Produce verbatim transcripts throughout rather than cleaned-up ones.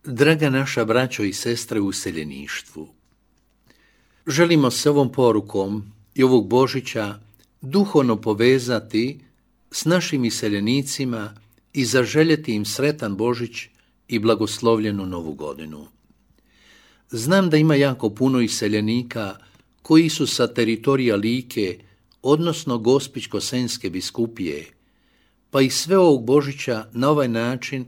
Draga naša braćo i sestre u useljeništvu, želimo se ovom porukom i ovog Božića duhovno povezati s našim iseljenicima i zaželjeti im sretan Božić i blagoslovljenu Novu godinu. Znam da ima jako puno iseljenika koji su sa teritorija Like, odnosno Gospićko-senjske biskupije, pa i sve ovog Božića na ovaj način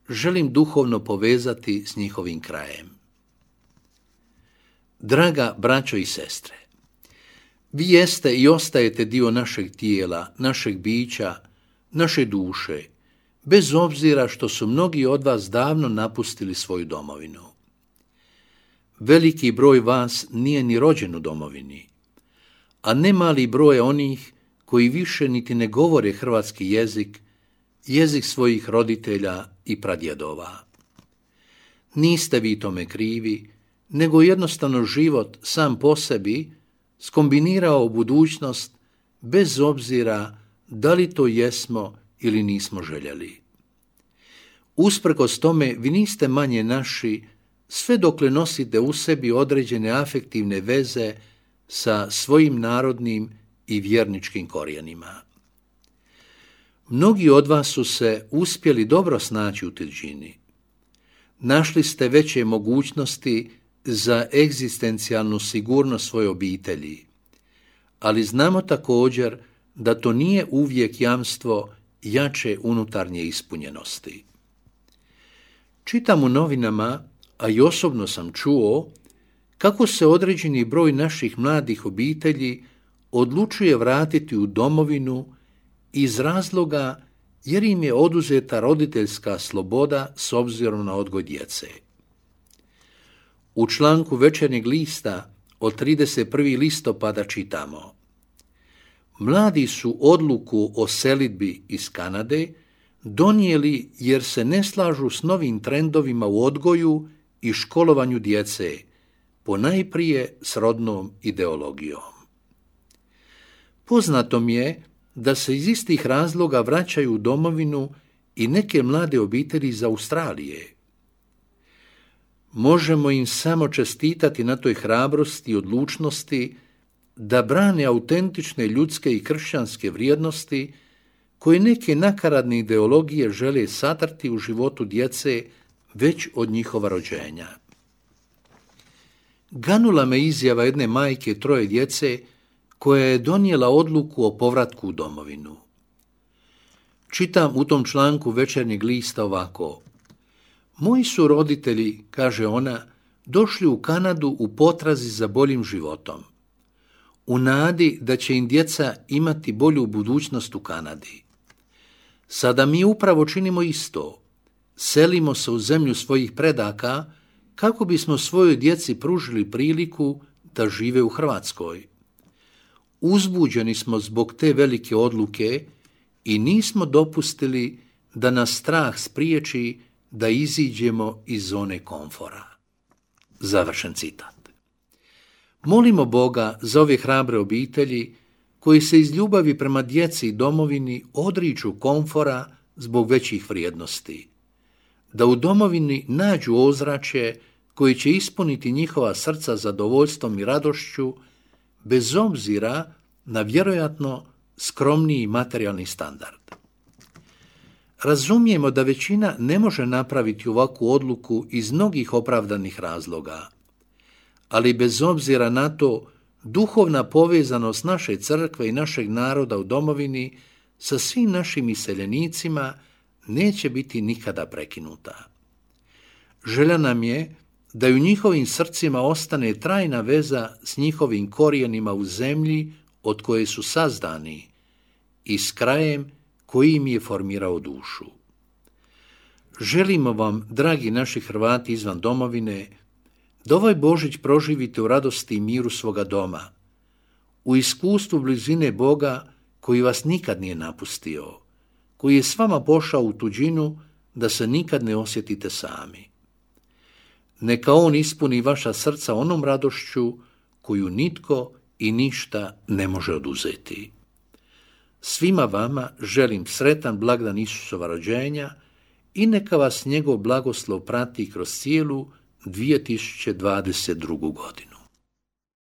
želim duhovno povezati s njihovim krajem. Draga braćo i sestre, vi jeste i ostajete dio našeg tijela, našeg bića, naše duše, bez obzira što su mnogi od vas davno napustili svoju domovinu. Veliki broj vas nije ni rođen u domovini, a ne mali broj onih koji više niti ne govore hrvatski jezik, jezik svojih roditelja i pradjedova. Niste vi tome krivi, nego jednostavno život sam po sebi skombinirao budućnost bez obzira da li to jesmo ili nismo željeli. Usprkos tome vi niste manje naši sve dokle nosite u sebi određene afektivne veze sa svojim narodnim i vjerničkim korijenima. Mnogi od vas su se uspjeli dobro snaći u tuđini. Našli ste veće mogućnosti za egzistencijalnu sigurnost svoje obitelji, ali znamo također da to nije uvijek jamstvo jače unutarnje ispunjenosti. Čitam u novinama, a i osobno sam čuo, kako se određeni broj naših mladih obitelji odlučuje vratiti u domovinu iz razloga jer im je oduzeta roditeljska sloboda s obzirom na odgoj djece. U članku Večernjeg lista od trideset prvog listopada čitamo: mladi su odluku o selidbi iz Kanade donijeli jer se ne slažu s novim trendovima u odgoju i školovanju djece, ponajprije s rodnom ideologijom. Poznato mi je da se iz istih razloga vraćaju u domovinu i neke mlade obitelji iz Australije. Možemo im samo čestitati na toj hrabrosti i odlučnosti da brane autentične ljudske i kršćanske vrijednosti koje neke nakaradne ideologije žele satrti u životu djece već od njihova rođenja. Ganula me izjava jedne majke troje djece koja je donijela odluku o povratku u domovinu. Čitam u tom članku Večernjeg lista ovako: moji su roditelji, kaže ona, došli u Kanadu u potrazi za boljim životom, u nadi da će im djeca imati bolju budućnost u Kanadi. Sada mi upravo činimo isto. Selimo se u zemlju svojih predaka kako bismo svojoj djeci pružili priliku da žive u Hrvatskoj. Uzbuđeni smo zbog te velike odluke i nismo dopustili da nas strah spriječi da iziđemo iz zone komfora. Završen citat. Molimo Boga za ove hrabre obitelji koji se iz ljubavi prema djeci i domovini odriču komfora zbog većih vrijednosti, da u domovini nađu ozračje koji će ispuniti njihova srca zadovoljstvom i radošću, bez obzira na vjerojatno skromniji materijalni standard. Razumijemo da većina ne može napraviti ovakvu odluku iz mnogih opravdanih razloga, ali bez obzira na to, duhovna povezanost naše crkve i našeg naroda u domovini sa svim našim iseljenicima neće biti nikada prekinuta. Želja nam je da u njihovim srcima ostane trajna veza s njihovim korijenima u zemlji od koje su sazdani i s krajem koji im je formirao dušu. Želimo vam, dragi naši Hrvati izvan domovine, da ovaj Božić proživite u radosti i miru svoga doma, u iskustvu blizine Boga koji vas nikad nije napustio, koji je s vama pošao u tuđinu da se nikad ne osjetite sami. Neka on ispuni vaša srca onom radošću koju nitko i ništa ne može oduzeti. Svima vama želim sretan blagdan Isusova rođenja i neka vas njegov blagoslov prati kroz cijelu dvije tisuće dvadeset drugu godinu.